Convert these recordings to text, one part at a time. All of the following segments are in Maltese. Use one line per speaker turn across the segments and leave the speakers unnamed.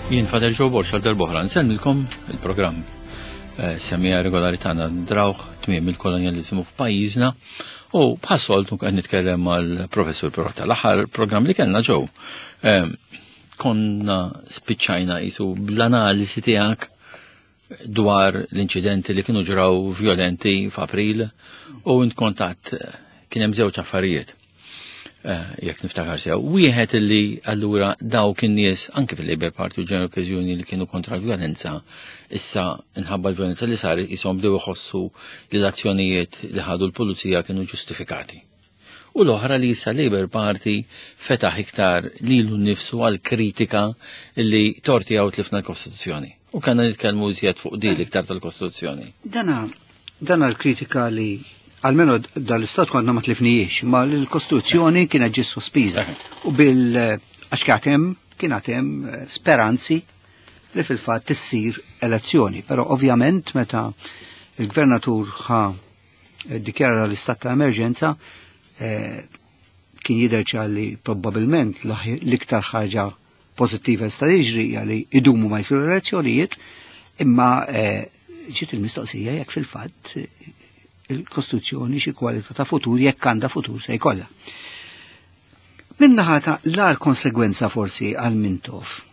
Jien Fader Joe Borx għal darb'oħra nsellmilkom il-programm eh, semija regolari tagħna drawh tmiem il-kolonjaliżmu f'pajjiżna u bħas-soltu qed nitkellem mal-professur Perotta. L-aħħar programm li kellna ġew eh, konna spiċċajna jisu bl-analiżi tiegħek dwar l-inċidenti li kienu ġraw violenti f'April u int kontat kien hemm żewġ affarijiet. Eh, jekk niftakar sew. Wieħed illi allura dawk in-nies anke fil-Labour Party u General Okkażjoni li kienu kontra l-vjolenza, issa nħabba l-vjolenza li saret qishom bdew iħossu li l-azzjonijiet li ħadu l-pulizija kienu ġustifikati. U l-oħra li issa Labour Party fetaħ iktar lilu nnifsu għal kritika li torti għaw tlifna l-Kostituzzjoni. U kanna nitkellmu iżjed fuq di iktar tal-Kostituzzjoni.
Dana, dana l-kritika li almenu dal-istat konna ma tlifnijiex, ma l-Kostituzzjoni kienet ġi sospiża. U bil għax kienem kien hemm eh, speranzi li fil-fatt issir elezzjoni. Però ovvjament meta il-gvernatur ħa ddikjara l-istat ta' emerġenza eh, kien jidher li probbabilment l-iktar ħaġa pożittiva jista' jiġri hija li idumu ma jsiru elezzjonijiet, imma eh, ġiet il-mistoqsija jekk fil-fatt eh, il-Kostituzzjoni xi kwalità ta' futur jekk għandha futur se jkollha. Minnaħa ta' l-ar konsegwenza forsi għal Mintoff.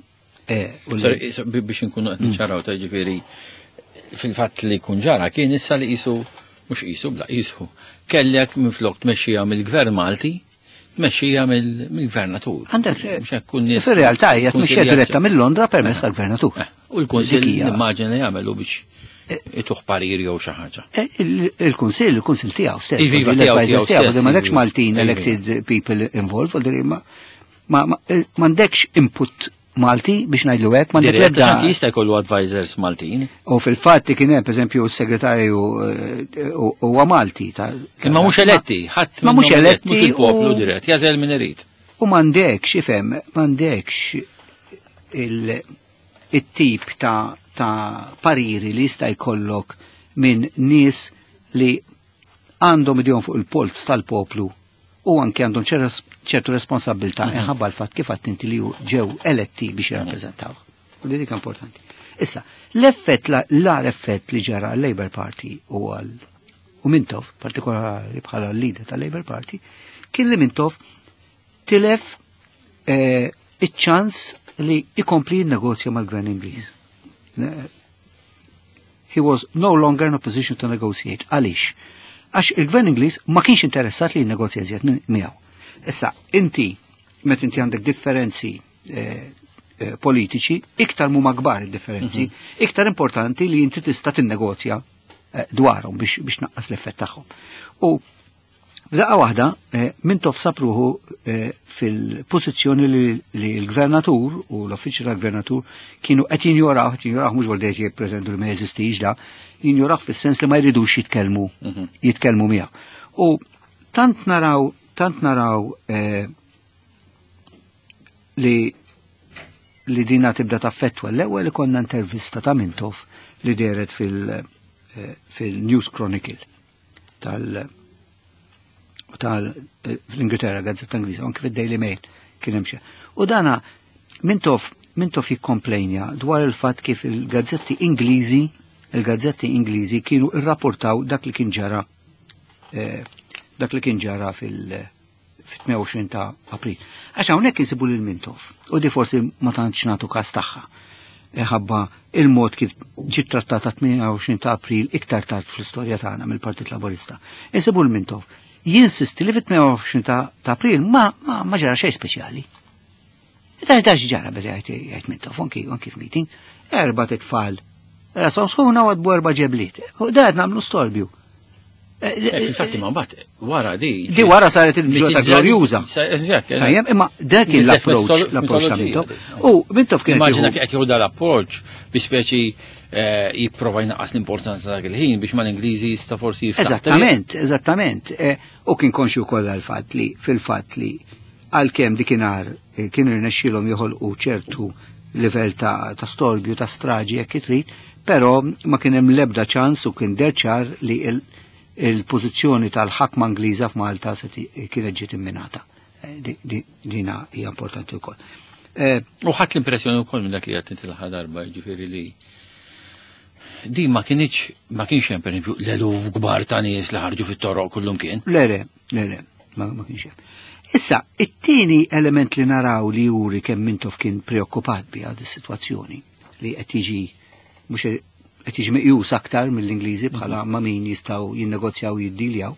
Biex nkunu qed niċċaraw ta' ġifieri fil-fatt li kun ġara kien issa li qisu mhux qisu bla qisu kellek minflok tmexxija mill-Gvern Malti tmexxija mill-gvernatur.
Għandek, eh, fir-realtà hija tmexxija diretta mill-Londra permezz eh. tal-gvernatur.
Eh, u l-Kunsill nimmaġina jagħmelu biex ituħ parir jew xi ħaġa.
Il-Kunsill, il-Kunsill tiegħu stess. Iva, tiegħu stess. M'għandekx Maltin elected people involved, ma m'għandekx input Malti biex ngħidlu hekk
ma l-ebda. Jista' jkollu advisors Maltin.
U fil-fatt kien hemm pereżempju s-segretarju eh, huwa Malti.
Imma mhux eletti, ħadd ma mhux eletti mhux il-poplu dirett, jażel min irid.
U m'għandekx ifhem, m'għandekx il-tip ta' ta' pariri li jista' jkollok minn nies li għandhom idejhom fuq il-polz tal-poplu u anke għandhom ċertu responsabilità mhm. inħabba l-fatt kif għadt inti li ġew eletti biex mhm. jirrappreżentaw. U li dik importanti. Issa, l-effett, l-ar effett li ġara għal-Labour Party u għal u Mintoff, partikolari bħala l-leader tal-Labour Party, kien li Mintoff tilef eh, iċ-ċans li ikompli jinnegozja mal-Gvern Ingliż. He was no longer in a position to negotiate. Għaliex? Għax il-gvern Ingliż ma kienx interessat li jinnegozja iżjed miegħu. Issa, inti, meta inti għandek differenzi eh, eh, politiċi, iktar mhuma kbar id-differenzi, mhm. iktar importanti li inti tista' tinnegozja eh, dwarhom biex, biex naqqas l-effett tagħhom. U F'daqqa waħda, eh, Mintoff sab ruħu eh, fil-pożizzjoni li l-gvernatur u l-uffiċċju tal-gvernatur kienu qed jinjoraw, qed jinjoraw mhux għal dejt jippretendu li ma jeżistix da, jinjoraw fis-sens li ma jridux jitkellmu mhm. jitkellmu miegħu. U tant naraw tant naraw eh, li li dina tibda taffettwa l-ewwel ikonna intervista ta' Mintoff li deret fil-News Chronicle tal tal eh, fl-Ingilterra, gazzetta Ingliża, anke fid-Daily Mail kien hemm xi. U dana Mintoff Mintoff jikkomplejnja dwar il-fatt kif il-gazzetti Ingliżi il-gazzetti Ingliżi kienu irrapportaw dak li kien ġara eh, dak li kien ġara fil- fit-28 ta' April. Għax hawnhekk insibu lil Mintoff u di forsi ma tantx nagħtu każ tagħha. E ħabba il-mod kif ġiet trattata 28 ta' April iktar tard fl-istorja tagħna mill-Partit Laburista. Insibu l Mintoff jinsisti li fit-28 ta' April ma, ma, ma ġara xejn speċjali. Da da ġara beda jgħid Mintoff anki anki f'meeting, erba' titfal. Rasom sħuna u għadbu erba' ġebliet. U da qed nagħmlu storbju.
Eh, eh, Infatti ma mbagħad wara di.
Di wara saret il-ġota glorjuża. Tajjeb, imma dak kien l-approach, l-approach ta' Mintoff. U Mintoff kien.
Immaġina qed jieħu dal-approach bi speċi eh, jipprova jnaqqas l-importanza dak il-ħin biex mal-Ingliżi jista' forsi
jiftaħ. Eżattament, eżattament. U kien konxju kollha l-fatt li fil-fatt li għalkemm dikinhar kien irnexxielhom joħolqu ċertu livell ta', ta storbju, ta' straġi jekk trid, però ma kien hemm l-ebda ċans u kien derċar li il-pożizzjoni tal-ħakma Ingliża f'Malta se kienet ġiet imminata. Eh, dina hija importanti wkoll.
U ħadd l-impressjoni wkoll minn dak li qed inti l-aħħar darba, jiġifieri li di ma kienx ma kienx hemm pereżempju l-eluf kbar ta' nies li ħarġu fit-toroq kullum kien.
Le, le, le, le, ma kienx hemm. Issa, it-tieni element li naraw li juri kemm Mintoff kien preokkupat biha dis-sitwazzjoni li qed jiġi mhux qed jiġi meqjus aktar mill-Ingliżi bħala ma' min jistgħu jinnegozjaw jiddiljaw.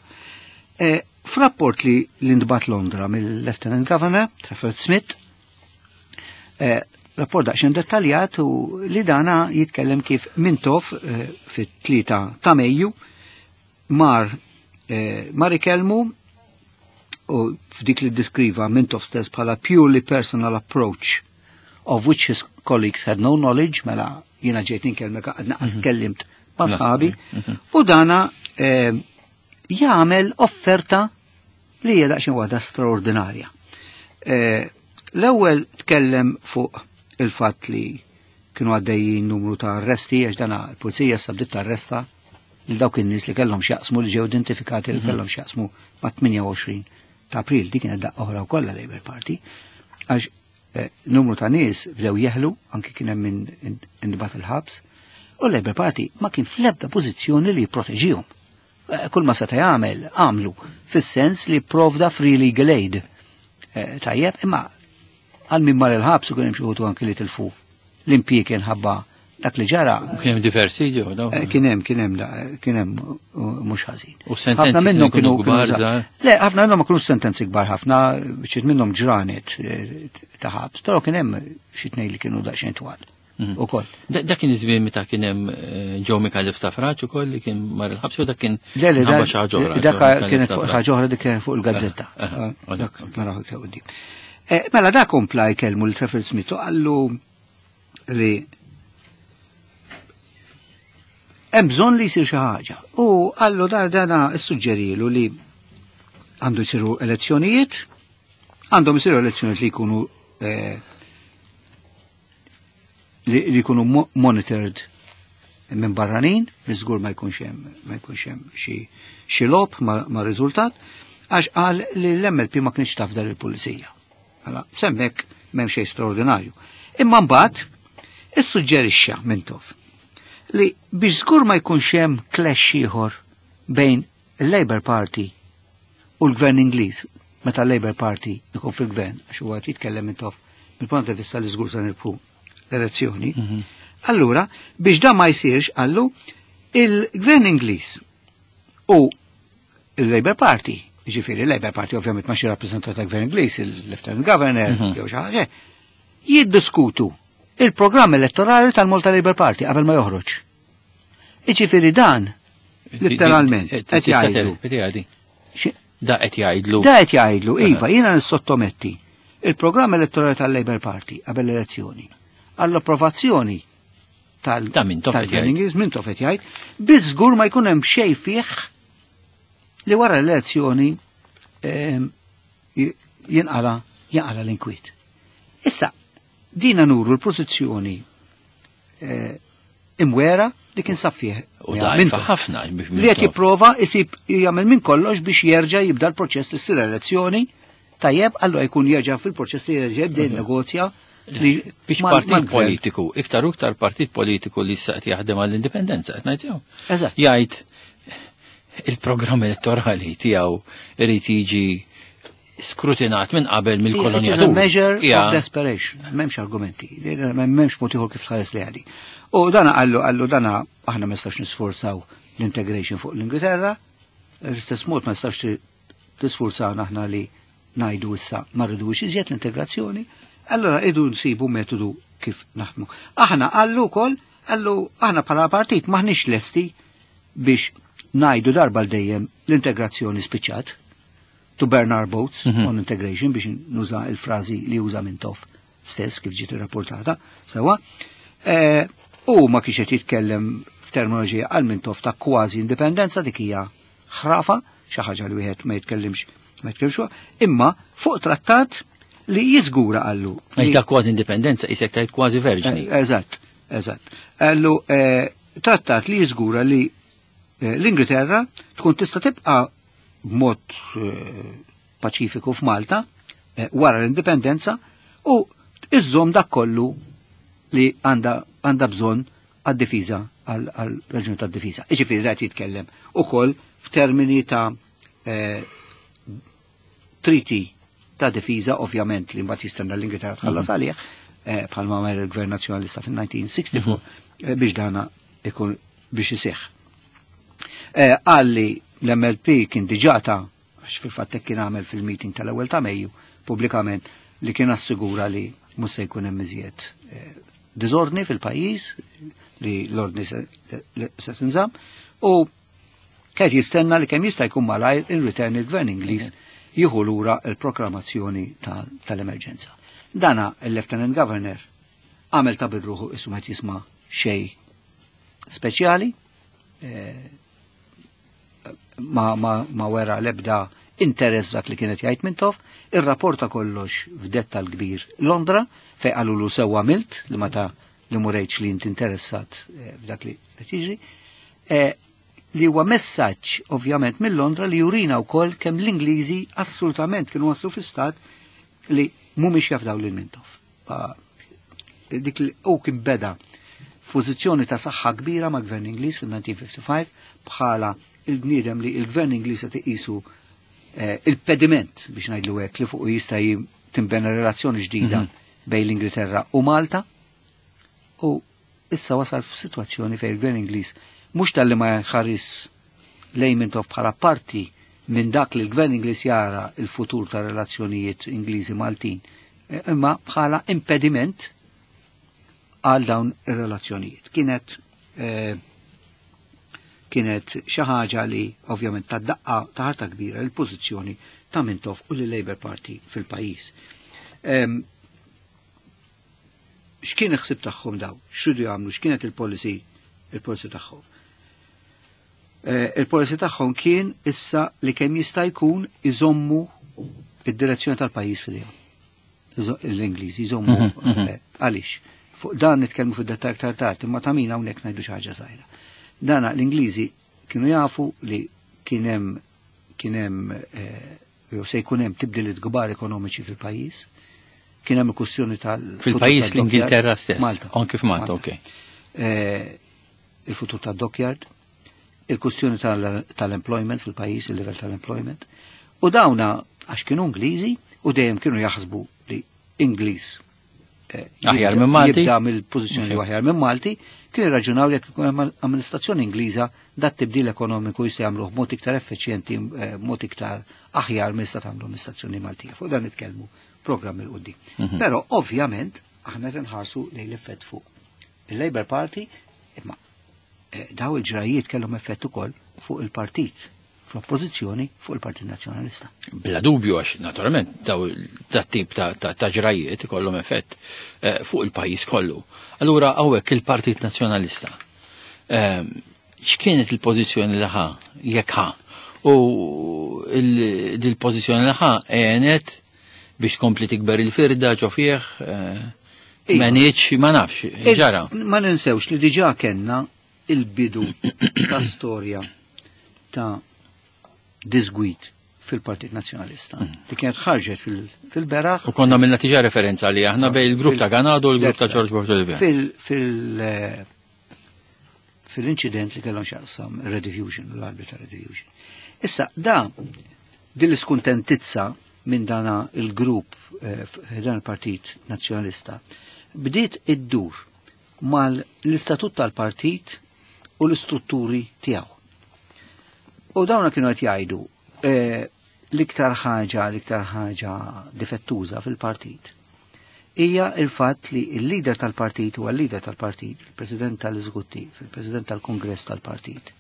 F'rapport li l-intbat Londra mill-Lieutenant Governor, Trafford Smith, rapport daqsxejn dettaljat u li dana jitkellem kif Mintoff fit-3 ta' Mejju mar ikellmu u f'dik li diskriva Mintoff stess bħala purely personal approach of which his colleagues had no knowledge, mela jiena ġejt ninkellmek għadna qas kellimt ma' sħabi, u dana jagħmel offerta li hija daqsxejn waħda straordinarja. L-ewwel tkellem fuq il-fatt li kienu għaddejjin numru ta' arresti, għax dana l-pulizija sa bdiet tarresta lil dawk in-nies li kellhom x'jaqsmu, li ġew identifikati li kellhom x'jaqsmu ma' 28 ta' April. Dik kienet daqqa oħra wkoll Labour Party, għax numru ta' nies bdew jeħlu, anki kien hemm min intbagħat il-ħabs, u l-Labour Party ma kien fl-ebda pożizzjoni li jipproteġihom. Kull ma seta' jagħmel għamlu fis-sens li provda free legal aid. Tajjeb, imma għal min mar il-ħabs u kien hemm xi wħud anki li tilfu l-impjieg ħabba dak li ġara.
U kien hemm diversi ġew, daw?
Kien hemm, kien hemm, kien hemm, mhux ħażin.
U sentenzi
Ħafna minnhom
kienu
kienu
kbar,
kienu
żgħar?
Le, ħafna minnhom ma kienux sentenzi kbar ħafna, xi minnhom ġranet ta' ħabs, però kien hemm xi tnejn li kienu daqsxejn twal. Ukoll.
Dak kien iż-żmien meta kien hemm Joe Micallef Stafrace ukoll li kien mar il-ħabs, u dak kien
Le, le,
ħabba xi ħaġa oħra,
dak
Joe Micallef
kienet fuq
Stafrace.
ħaġa oħra, dik kienet fuq il-gazzetta. Dak naraw iktar quddiem. Mela dak kompla jkellmu l Trafford Smith u qallu li hemm bżonn li jsir xi ħaġa. U qallu dana issuġġerilu li għandu jsiru elezzjonijiet, għandhom isiru elezzjonijiet li jkunu li jkunu monitored minn barranin, li żgur ma jkunx hemm, ma jkunx hemm xi logħob ma' riżultat, għax qal li l-MLP ma kienx taf dar il-pulizija. Mela, semmek m'hemm xejn straordinarju. Imma mbagħad issuġġerixxa Mintoff li biex żgur ma jkunx hemm clash ieħor bejn il-Labour Party u l-Gvern Ingliż, meta l-Labour Party ikun fil-gvern, għax huwa qed jitkellem Mintoff mill-punt ta' vista li żgur se nirbħu l-elezzjoni. Allura, biex dan ma jsirx, qallu il-Gvern Ingliż u il-Labour Party, ġifieri il-Labour Party ovvjament ma xi rappreżentant tal-Gvern Ingliż, il-Lieutenant Governor, jew xi ħaġa, jiddiskutu il-programm elettorali tal-Malta Labour Party qabel ma joħroġ. Iġifieri dan, letteralment, qed
Tista'
jgħidu.
terpeti għadi.
Xi-
Da qed jgħidlu.
Da qed jgħidlu, iva, jiena nissottometti il-programm elettorali tal-Labour Party qabel l-elezzjoni għall-approvazzjoni
Ta' Mintoff qed
tal-Gvern
jgħid.
Ingliż, Mintoff qed jgħid, biss żgur ma jkun hemm xejn fih li wara l-elezzjoni jinqala l-inkwiet. Issa, dina nuru l-pożizzjoni imwera li kien sab fih.
U
Ja,
dajfa
Mintoff.
ħafna biex
Li qed
Mintoff.
jipprova isib jagħmel minn kollox biex jerġa' jibda l-proċess li ssir elezzjoni, tajjeb, allura jkun jerġa' fil-proċess li jerġa' jibda jinnegozja li
Biex partit
mal-gvern.
politiku, iktar u iktar partit politiku li issa qed jaħdem għall-indipendenza, qed ngħid sew. Jgħid il-programm elettorali tiegħu irid jiġi skrutinat minn qabel
It is a
mill-kolonjatur.
measure of desperation. M'hemmx argumenti, m'hemmx mod ieħor kif tħares li għadi. U dana qallu dana aħna ma nistax nisforzaw l-integration fuq l-Ingilterra, l-istess mod ma nistax tisforzawna aħna li ngħidu issa ma rridux iżjed l-integrazzjoni, allora idu nsibu metodu kif naħdmu. Aħna qallu wkoll, qallu aħna bħala partit maħniex lesti biex ngħidu darba l dejjem l-integrazzjoni spiċċat, to burn our boats on integration, biex nuża il-frażi li uża Mintoff stess kif ġiet irrapportata, sewa. U ma kienx qed jitkellem f'terminoloġija għal Mintoff ta' kważi indipendenza, dik hija ħrafa, xi ħaġa li wieħed ma jitkellimx, ma jitkellimx fuqha, imma fuq trattat li jiżgura qallu li
Ej, ta' kważi indipendenza, isek tajt kważi verġni.
Eżatt, eżatt. Qallu trattat li jiżgura li l-Ingilterra tkun tista' tibqa' b'mod paċifiku f'Malta wara l-indipendenza u iżżomm dak kollu li għandha bżonn għad-difiża, għal raġuni tad-difiża. Iġifieri qed jitkellem ukoll f'termini ta' treaty ta' difiża, ovvjament li mbagħad jistenna l-Ingilterra tħallas għalih, bħalma għamel il-Gvern Nazzjonalista fil-1964 biex dana ikun biex iseħħ. Għalli l-MLP kien diġà ta', għax fil-fatt hekk kien għamel fil-meeting tal-ewwel ta' Mejju pubblikament, li kien assigura li mhux se jkun hemm iżjed diżordni fil-pajjiż, li l-ordni se tinżamm, u kien jistenna li kemm jista' jkun malajr in return il-Gvern Ingliż jieħu lura l-proklamazzjoni tal-emerġenza. Dana il-Lieutenant Governor għamel ta' bidruħu issu ma jisma' xej speċjali, ma wera l-ebda interess dak li kienet jgħid Mintoff, irrapporta kollox f'dettal kbir Londra, fej qalulu sewwa milt li ma ta' li murejċ li inti interessat f'dak li qed jiġri, li huwa messaġġ ovvjament mill-Londra li jurina wkoll kemm l-Ingliżi assolutament kienu waslu fi stat li mhumiex jafdaw lil Mintoff. Dik li u kien beda f'pożizzjoni ta' saħħa kbira ma' Gvern Ingliż fil-1955 bħala il-bniedem li il-Gvern Ingliż qed iqisu il-pediment biex ngħidlu hekk li fuq jista' tinbena relazzjoni ġdida bejn l-Ingilterra u Malta, u issa wasal f'sitwazzjoni fejn il-Gvern Ingliż mhux talli ma jħares lejn Mintoff bħala parti minn dak li l-Gvern Ingliż jara il-futur ta' relazzjonijiet Ingliżi Maltin, imma bħala impediment għal dawn ir-relazzjonijiet. Kienet xi ħaġa li ovvjament ta' daqqa ta' ħarta kbira l-pożizzjoni ta' Mintoff u l-Labour Party fil-pajjiż. X'kien il-ħsieb tagħhom daw? X'ridu jagħmlu? X'kienet il-policy tagħhom? Il-policy tagħhom kien issa li kemm jista' jkun iżommu id-direzzjoni tal-pajjiż f'idejhom. L-Ingliżi jżommu, għaliex? Fuq dan nitkellmu fid-dettal aktar tard, imma ta' min hawnhekk ngħidu xi ħaġa żgħira. Dana l-Ingliżi kienu jafu li kien hemm jew se jkun hemm tibdiliet kbar ekonomiċi fil-pajjiż. Kien hemm il-kwestjoni tal-
Fil-pajjiż
futur tad-dockyard.
l-Ingilterra stess.
Malta.
Anke f'Malta,
Malta.
ok.
Il-futur tad-dockyard, il-kwestjoni tal-employment fil-pajjiż, il-level tal-employment. U dawna għax kienu Ingliżi u dejjem kienu jaħsbu li Ingliż
Aħjar minn Malti?
jibda mill-pożizzjoni li aħjar minn Malti, kienu raġunaw li jekk ikun hemm amministrazzjoni Ingliża dat tibdil ekonomiku jista' jagħmluh b'mod iktar effiċjenti, b'mod iktar aħjar minn jista' tagħmlu amministrazzjoni Maltija. Fuq dan nitkellmu programm il quddiem. Però ovvjament aħna qed inħarsu lejn l-effett fuq il-Labour Party, imma daw il-ġrajiet kellhom effett ukoll fuq il-partit fl-oppożizzjoni, fuq il-Partit Nazzjonalista.
Bla dubju, għax naturalment daw dat tip ta' ġrajiet ikollhom effett fuq il-pajjiż kollu. Allura hawnhekk il-Partit Nazzjonalista, x'kienet il-pożizzjoni li ħa, jekk ħa? U il-pożizzjoni li ħa għenet biex tkompli tikber il-firda ġo fih,
Iva.
ma nieċ, ma nafx, ġara.
Ma ninsewx li diġà kellna il-bidu ta' storja ta' disgwid fil-Partit Nazzjonalista li kienet ħarġet fil-beraħ.
U konna minna tiġa referenza li aħna bej il-grupp ta' Ganado u l-grupp ta' George Borg Olivier.
Fil-inċident li kellhom x'jaqsam Rediffusion, l-arbli ta' Rediffusion. Issa, da, din l-iskuntentizza minn dana il-grupp dan il-Partit Nazzjonalista bdiet iddur mal-istatut tal-partit u l-istrutturi tiegħu. U dawna kienu qed jgħidu l-iktar ħaġa difettuża fil-partit hija il-fatt li il-leader tal-partit huwa l-leader tal-partit, il-president tal-eżekuttiv, il-president tal-kongress tal-partit.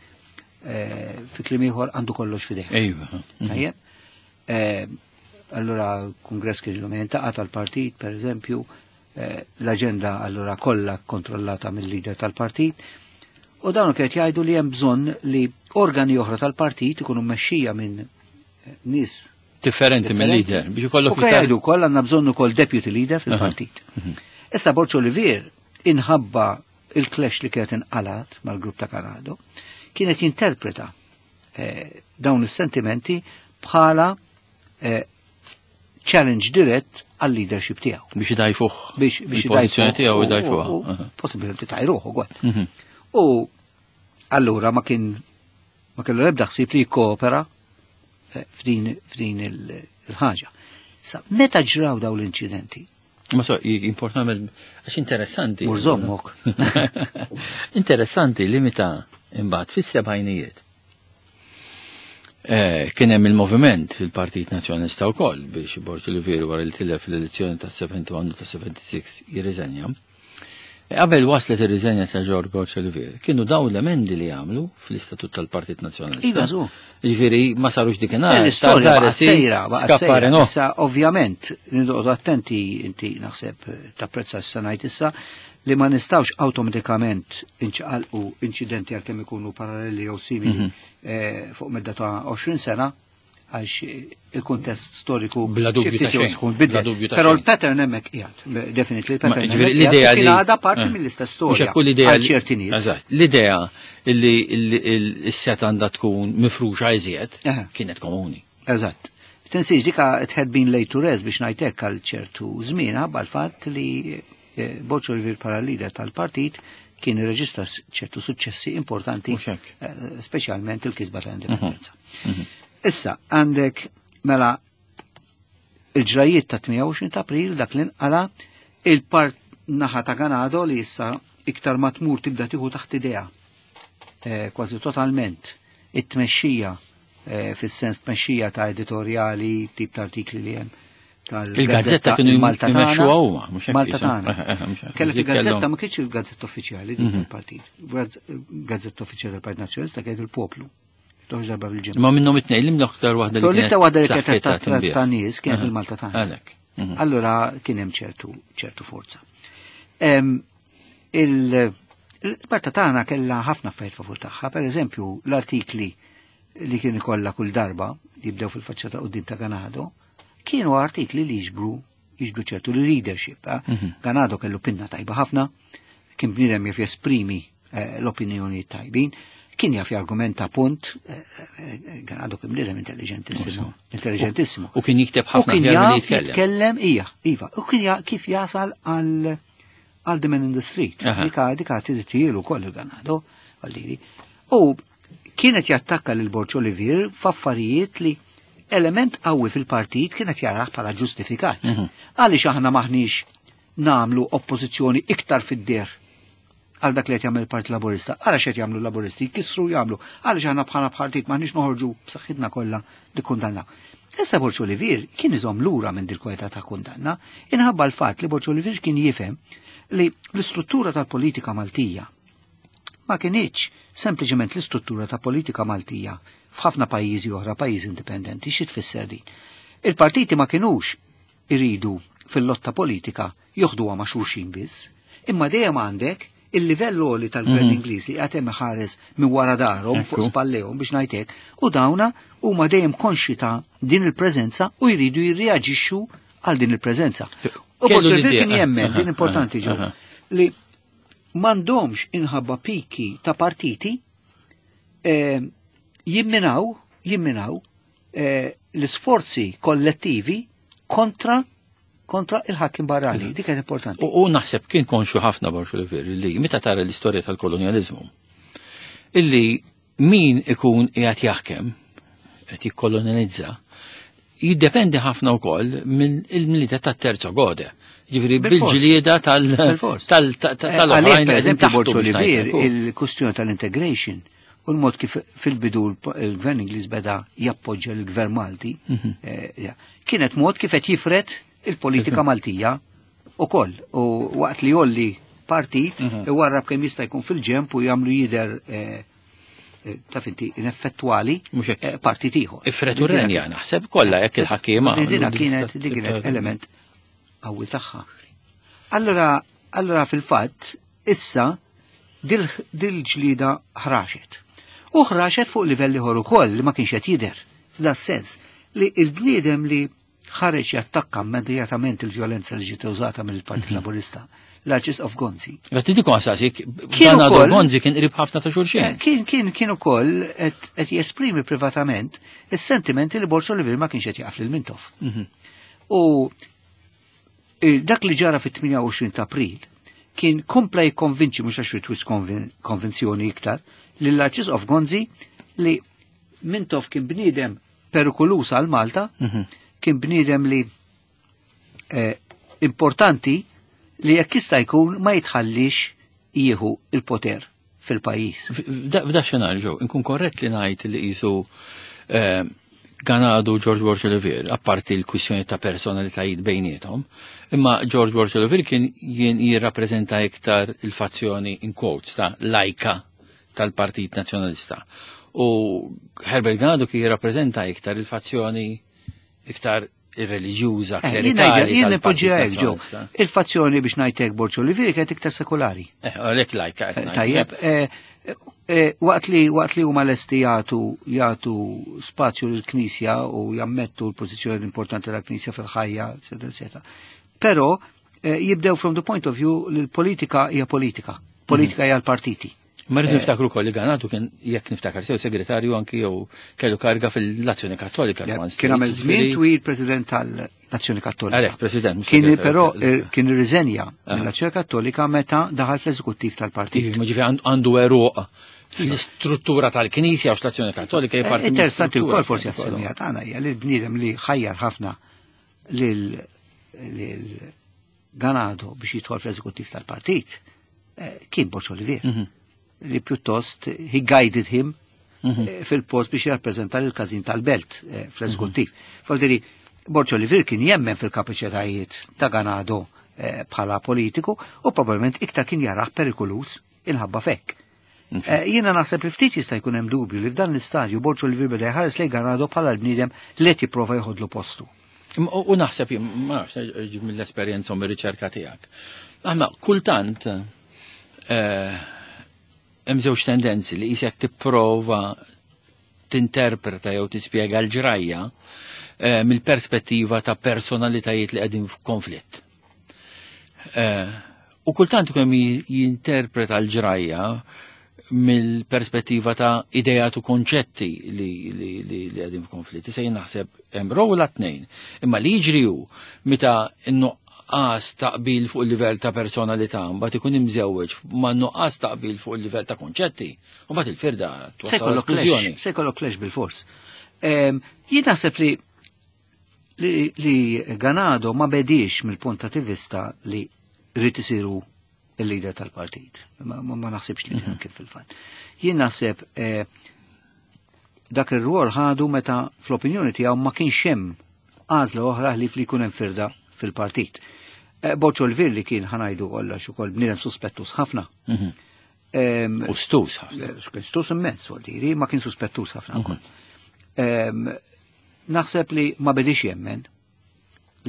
Fi kliem ieħor għandu kollox f'idejh. Tajjeb? Allura l-kongress kien illum jintaqa' tal-partit, per eżempju, l-aġenda allura kollha kontrollata mill-leader tal-partit. U dawn kienet jgħidu li hemm bżonn li organi oħra tal-partit ikunu mmexxija minn nies
differenti mill-leader, biex ikollok
U kien
iktar
jgħidu wkoll għandna bżonn ukoll deputy leader fil-partit. Issa Borg Olivier inħabba il-clash li kienet inqalat mal-grupp ta' Ganado, kienet jinterpreta dawn is-sentimenti bħala challenge dirett għal-leadership tiegħu.
Biex idajfuh.
Biex
il-pożizzjoni tiegħu idajfuha.
Possibilment tajruh ukoll. U allura ma kien ma kellu l-ebda ħsieb li jikkoopera f'din il-ħaġa. Sa meta ġraw daw l-inċidenti?
Ma so, importanti, għax interessanti.
Murżommok.
Interessanti li meta imbagħad fis-sebgħinijiet. Kien hemm il-moviment fil-Partit Nazzjonalista wkoll biex Borg Olivier wara li tilef l-elezzjoni ta' 71 ta' 76 jirriżenja. Qabel waslet ir-riżenja ta' George Borg Olivier, kienu daw l-emendi li għamlu fl-Istatut tal-Partit Nazzjonalista.
Iva, żu.
Ġifieri ma sarux dikinhar.
L-istorja baqgħet sejra, baqgħet sejra. Issa ovvjament nindoqgħodu attenti inti naħseb tapprezza issa ngħid issa li ma nistgħux awtomatikament inċaqalqu inċidenti għalkemm ikunu paralleli jew simili fuq medda ta' 20 sena għax il-kuntest storiku
Bla dubju
xi
ta'
ftit jew
xejn.
sħun
Bla
bidel.
dubju ta'
Però
xejn.
l-pattern hemmhekk qiegħed, definitely
Ma,
l-pattern
ġifieri,
hemmhekk
l-idea
qiegħed u
li
kien għadha parti mill-istess
Mhux
storja
hekk l-idea
għal
li-
ċerti nies.
Eżatt. L-idea li s-set għandha tkun mifruxa iżjed kienet komuni.
Eżatt. Tinsiex dika it had been laid to rest biex ngħidlek għal ċertu żmien ħabba l-fatt li Borg Olivier bħala leader tal-partit kien irreġistra ċertu suċċessi importanti,
Mhux hekk.
speċjalment il-kisba tal-indipendenza. Issa, għandek mela il-ġrajiet ta' 28 ta' April dak li nqala il-part naħa ta' Ganado li issa iktar ma tmur tibda tieħu taħt idea kważi totalment it-tmexxija fis-sens tmexxija ta' editorjali, tip ta' artikli li hemm tal-gazzetta
Il-gazzetta kienu
Malta tagħna.
jmexxuha huma, mhux hekk
Malta
jisem.
tagħna.
Mhux hekk.
Kellek
Dik
il-gazzetta
kellhom.
ma kienx il-gazzetta uffiċjali dik tal-partit. Gazzetta uffiċjali tal-Partit Nazzjonalista kienet il-Poplu. Toħroġ darba fil-ġimgħa.
Ma minnhom it-tnejn li l-aktar waħda li
Però l-iktar waħda li kienet
saħħitha
ta'
tinbiegħ.
ta' nies kienet il-Malta tagħna.
Għalhekk.
Allura kien hemm ċertu forza. Il-Malta tagħna kellha ħafna affarijiet favur tagħha, pereżempju l-artikli li kien ikollha kull darba jibdew fil-faċċata quddiem ta' Ganado, kienu artikli li jiġbru ċertu leadership. Ganado kellu pinna tajba ħafna, kien bniedem jaf jesprimi l-opinjoni tajbin, kien jaf jargumenta punt, Ganado kien bniedem intelligentissimo, intelligentissimo.
U kien jikteb
U
ħafna
kien
aħjar milli
jaf
jitkellem.
jitkellem, ija, iva, u kien kif jasal għal the man in the street. Dika tidtielu koll il-Ganado, għalliri. U kienet jattakka lil Borg Olivier f'affarijiet li element qawwi fil-partit kienet jarah bħala ġustifikat. Għaliex aħna maħniex namlu oppożizzjoni iktar fid-der għal dak li qed jagħmel il-Partit Laburista. Għala x'qed jagħmlu l-Laburisti, jkissru jagħmlu. Għaliex aħna bħala partit maħniex noħorġu b'saħħitna kollha li kundannaw. Issa Borg Olivier kien iżomm lura minn dil-kwalità ta' kundanna, inħabba l-fatt li Borg Olivier kien jifhem li l-istruttura tal-politika Maltija ma kienx sempliċement l-istruttura ta' politika Maltija f'ħafna pajjiżi oħra, pajjiżi indipendenti, xi tfisser din? Il-partiti ma kinux iridu fil-lotta politika joħduha ma' xulxin biss, imma dejjem għandek il-livell għoli tal-gvern Ingliż li qed hemm ħares minn wara darhom fuq spallejhom biex ngħidlek, u dawna huma dejjem konxi ta' din il-preżenza u jridu jirreaġixxu għal din il-preżenza. U
Kellu
Borg Olivier
l-idea.
kien jemmen, din importanti ġew, li m'għandhomx inħabba piki ta' partiti jimminaw l-isforzi kollettivi kontra il-ħakim barrani. Dik kienet importanti.
U naħseb kien konxu ħafna Borg Olivier li meta tara l-istorja tal-kolonializmu, illi min ikun qiegħed jaħkem, qed jikkolonizza, jiddependi ħafna wkoll minn il-milita tat-terzo gode. Ġifieri bil-ġlieda tal-oħrajn
Għalih, per
li qegħdin
eżempju,
taħtu
Borg
biex
Olivier,
ngħidlek.
il-kustjoni tal-integration u l-mod kif fil-bidu l-gvern Ingliż beda jappoġġja l-gvern Malti, kienet mod kif qed jifred il-politika Maltija ukoll. U waqt li jolli partit, iwarrab kemm jista' jkun fil-ġemp u jagħmlu jidher taf inti ineffettuali,
Mhux hekk.
partit ieħor.
Ifretu renja, naħseb kollha jekk il-ħakkiema.
Dina kienet element qawwi tagħha. Allora fil-fatt issa dil-ġlida ħraxet. U ħraxet fuq livell ieħor ukoll li ma kienx qed jidher. F'dan sens li l-bniedem li ħareġ jattakka immedjatament il-vjolenza li ġiet użata mill-Partit Laburista, l-Arċisqof Gonzi.
Għat diku għasasik,
Kien
dan għadu
ukoll
Gonzi kien qrib ħafna ta' xulxin.
Kien ukoll qed jesprimi privatament is-sentimenti li Borg Olivier ma kienx qed jaqaf lil Mintoff. U dak li ġara fit-28 ta' April kien kompla jikkonvinċi, mhux għax twis konvinzjoni iktar, lill arċisqof Gonzi li Mintoff kien bniedem perikolus għal Malta, kien bniedem li importanti li jekk jista' jkun ma jitħallix jieħu il-poter fil-pajjiż.
F'da xenarju, inkun korrett li ngħid li qisu Ganado George Borg Olivier, apparti l-kwissjoni ta' personalitajiet bejniethom, imma George Borg Olivier kien jien jirrappreżenta iktar il-fazzjoni in quotes ta' lajka tal-Partit Nazzjonalista. U Herbert Ganado kien jirrappreżenta iktar il-fazzjoni iktar ir-reliġjuża, klerikali.
Jien nipoġġiha hekk ġew. Il-fazzjoni biex ngħidlek Borg Olivier kienet iktar sekulari.
Għalhekk lajka.
Tajjeb, waqt li huma lesti jagħtu spazju lill-Knisja u jammettu l-pożizzjoni importanti tal-Knisja fil-ħajja, eċetera, eċetera. Però jibdew from the point of view li l-politika hija politika. Politika hija l-partiti.
Ma rridu niftakru wkoll li Ganado kien, jekk niftakar sew, segretarju anki jew kellu karga fil-Azzjoni Kattolika.
Kien għamel żmien twil president tal-Azzjoni Kattolika.
Għalhekk president.
Kien però kien irriżenja mill-Azzjoni Kattolika meta daħal fl-eżekuttiv tal-partit.
Ġifieri għandu eruq fl-istruttura tal-Knisja u l-Azzjoni Kattolika hija parti.
Interessanti wkoll forsi għas-semija tagħna hija li l-bniedem li ħajjar ħafna lil Ganado biex jidħol fl-eżekuttiv tal-partit kien Borg Olivier. Li pjuttost he guided him fil-post biex jirrappreżenta l-każin tal-belt fl-eżekuttiv. Faldiri, Borg Olivier kien jemmen fil-kapaċitajiet ta' Ganado bħala politiku u probabbilment iktar kien jarah perikolus inħabba fekk. Jiena naħseb li ftit jista' jkun hemm dubju li f'dan l-istadju Borg Olivier beda jħares lejn Ganado bħala l-bniedem li qed jipprova jħodlu postu.
U naħseb, ma nafx, mill-esperjenza u mir-riċerka tiegħek. Aħna kultant hemm żewġ tendenzi li qisek tipprova tinterpreta jew tispjega l-ġrajja mill-perspettiva ta' personalitajiet li qegħdin f'konflitt. U kultant ikun jinterpreta l-ġrajja mill-perspettiva ta' idejat u konċetti li qegħdin f'konflitt. Issa jien naħseb hemm rola tnejn. Imma li jiġri hu meta n-nuqqas taqbil fuq il-livell ta' personalità mbagħad ikun imżewweġ ma' nuqqas taqbil fuq il-livell ta' konċetti, u mbagħad il-firda twassal splużjoni.
Se jkollok clash bil-fors. Jien naħseb li Ganado ma bedix mill-punt ta' vista li rrid isiru il-lider tal-partit. Ma naħsibx li kien fil-fatt. Jien naħseb dak ir-rwol ħadu meta fl-opinjoni tiegħu ma kienx hemm għażla oħra ħlief li jkun hemm firda fil-partit. Borg Olivier li kien ħanajdu kollox ukoll bniedem suspettus ħafna.
U stus ħafna.
Kien stus immens, vuol dire, ma kien suspettus ħafna wkoll. Naħseb li ma bedix jemmen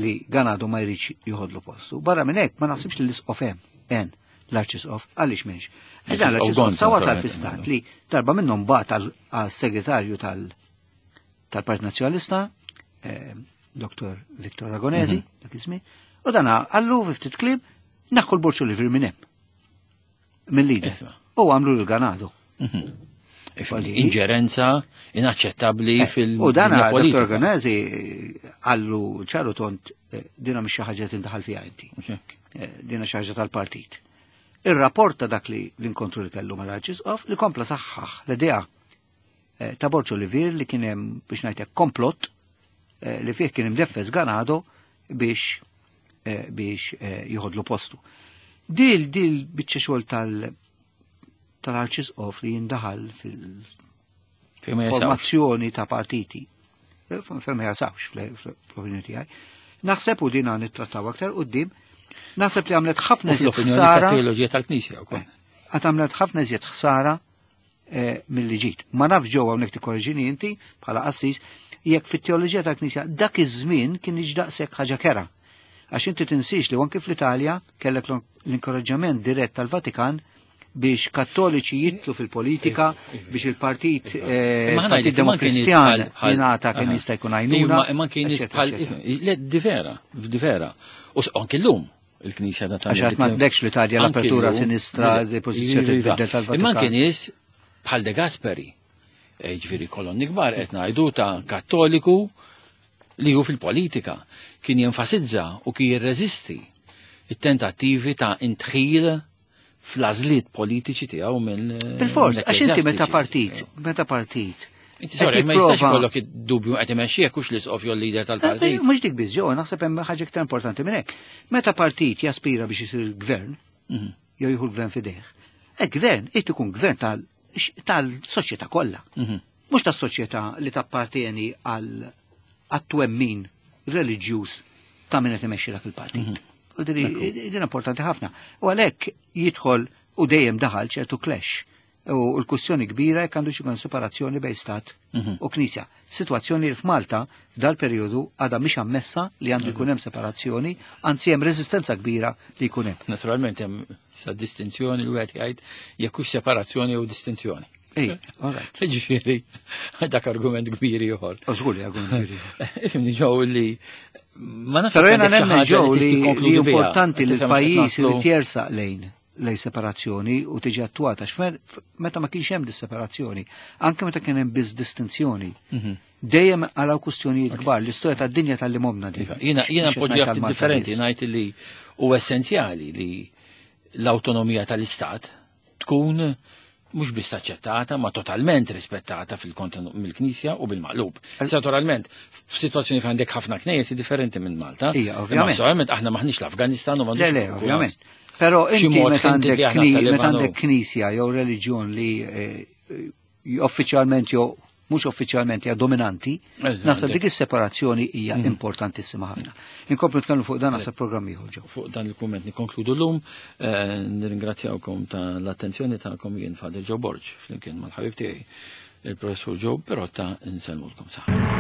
li Ganado ma jridx joħodlu postu. Barra minn hekk ma naħsibx li l-isqof hemm, l-arċisqof, għaliex m'hemmx. Dan l-arċisqof sa wasal fi stat li darba minnhom bagħat għal-segretarju tal-Partit Nazzjonalista, Dr. Victor Ragonesi, dak iż-żmien, u dan għallu fi ftit kliem naħħu l-Borg Olivier minn hemm. Mill-lider. U għamlu l-Ganado.
Inġerenza inaċċettabbli fil-
U dan
dinja
Dr.
politika.
Ragonesi għallu ċaru tont dina mhix xi ħaġa tindaħal fiha inti. Dina xi ħaġa tal-partit. Ir-rapport ta' dak li l-inkontru li kellu mal-Arċisqof li kompla saħħaħ l-idea ta' Borg Olivier li kien hemm biex ngħidlek komplott li fih kien imdeffes Ganado biex jieħodlu postu. Dil biċċa xogħol tal-Arċisqof li jindaħal
Fejn ma jasawx.
fil-formazzjoni ta' partiti. Fejn ma jasawx fl-opinjoni tiegħi. Naħseb u dina nittrattaw aktar quddiem, naħseb li għamlet ħafna
U
iżjed
fl-opinjoni
ħsara.
tat-teoloġija tal-Knisja wkoll.
Għad għamlet ħafna iżjed ħsara milli ġiet. Ma nafx ġewwa hawnhekk tikkorreġini inti bħala qassis, jekk fit-teoloġija tal-Knisja dak iż-żmien kien iġdaqsek ħaġa kera. Għax inti tinsiex li anke fl-Italja kellek l-inkoraġġament dirett tal-Vatikan biex kattoliċi jitlu fil-politika, biex il-partit,
Imma ħana
partit
jgħid, imma kien nies
Demokristjan
bħal-
jingħata kemm jista' jkun għajnuna,
Imma kien nies
eċetera,
bħal-
eċetera.
Le, di vera, di vera. U anke llum il-Knisja ta'
Għax għad m'għandekx l-Italja
Anke
l-apertura
llum,
sinistra,
le,
depożizzjoni
iva, iva.
tibdel tal-Vatikan.
Imma anke nies bħal De Gasperi, ġifieri kolonni kbar qed ngħidu ta' kattoliku li hu fil-politika kien jenfasizza u kien jirreżisti it-tentattivi ta' intħil fl-għażliet politiċi tiegħu mill
Bil-fors, għax inti meta partit, meta partit.
Inti sorry, ma jistax ikollok id-dubju qed imexxi jekk hux l-isqof jew l-leader tal-partit.
Mhux dik biss ġew, naħseb hemm ħaġa iktar importanti minn hekk. Meta partit jaspira biex isir il-gvern, jew jieħu l-gvern f'idejh, e gvern irid ikun gvern tal-soċjetà kollha. Mhux tas-soċjetà li tappartieni għal għat-twemmin reliġjuż ta' min qed imexxi dak il-partit. U din importanti ħafna. U għalhekk jidħol u dejjem daħal ċertu clash. U l-kwistjoni kbira jekk għandu ikun separazzjoni bejn stat u knisja. Situazzjoni li f'Malta f'dal periodu għadha mhix ammessa li għandu jkun hemm separazzjoni, anzi hemm reżistenza kbira li jkun hemm.
Naturalment hemm sa distinzjoni li wieħed jgħid jekk hux separazzjoni jew distinzjoni.
Ej, all right.
Ġifieri, dak argument kbir ieħor.
U żgur li argument kbir ieħor.
Ifhimni ġew li ma nafx
Però
jekk
jena
għandek xi
nemmen
ħaġa
ġew
li
li
tikkonkludi
li
biha.
importanti li
Tifhem x'qed
l-pajjiż
naslu?
irid jersaq lejn separazzjoni u tiġi attuata. X'fe- Meta ma kienx hemm dis-separazzjoni, anke meta kien hemm biss distinzjoni, dejjem għalaw kwistjonijiet kbar, l-istorja tad-dinja tal-li momna din.
Iva, Jiena
Mhux qed
npoġġi
ngħid
ftit
għal-Malta
differenti,
biss.
ngħid li hu essenzjali li l-awtonomija tal-Istat tkun mhux biss aċċettata, ma totalment rispettata fil-kontenut mill-Knisja u bil-maqlub. Naturalment, f'sitwazzjoni fejn għandek ħafna knejjes differenti minn Malta.
Ija,
Imma
ovvjament.
Assolutament aħna maħniex l-Afganistan u
Le,
m'għandux
le,
ikun
ovvjament. Però
xi
inti
mod
meta
hinted
għandek
li aħna
kni-
Taliban
meta għandek knisja jew reliġjon li uffiċjalment jew mhux uffiċjalment hija dominanti,
Eżatt.
naħseb dik is-separazzjoni hija importantissima ħafna. Inkomplu nitkellmu fuq dan naħseb programm ieħor ġew.
Fuq dan il-kumment nikkonkludu l-lum, nirringrazzjawkom ta' l-attenzjoni tagħkom jien Father Joe Borg, flimkien mal-ħabib tiegħi il-professur Joe Perotta, insellmulkom saħħa.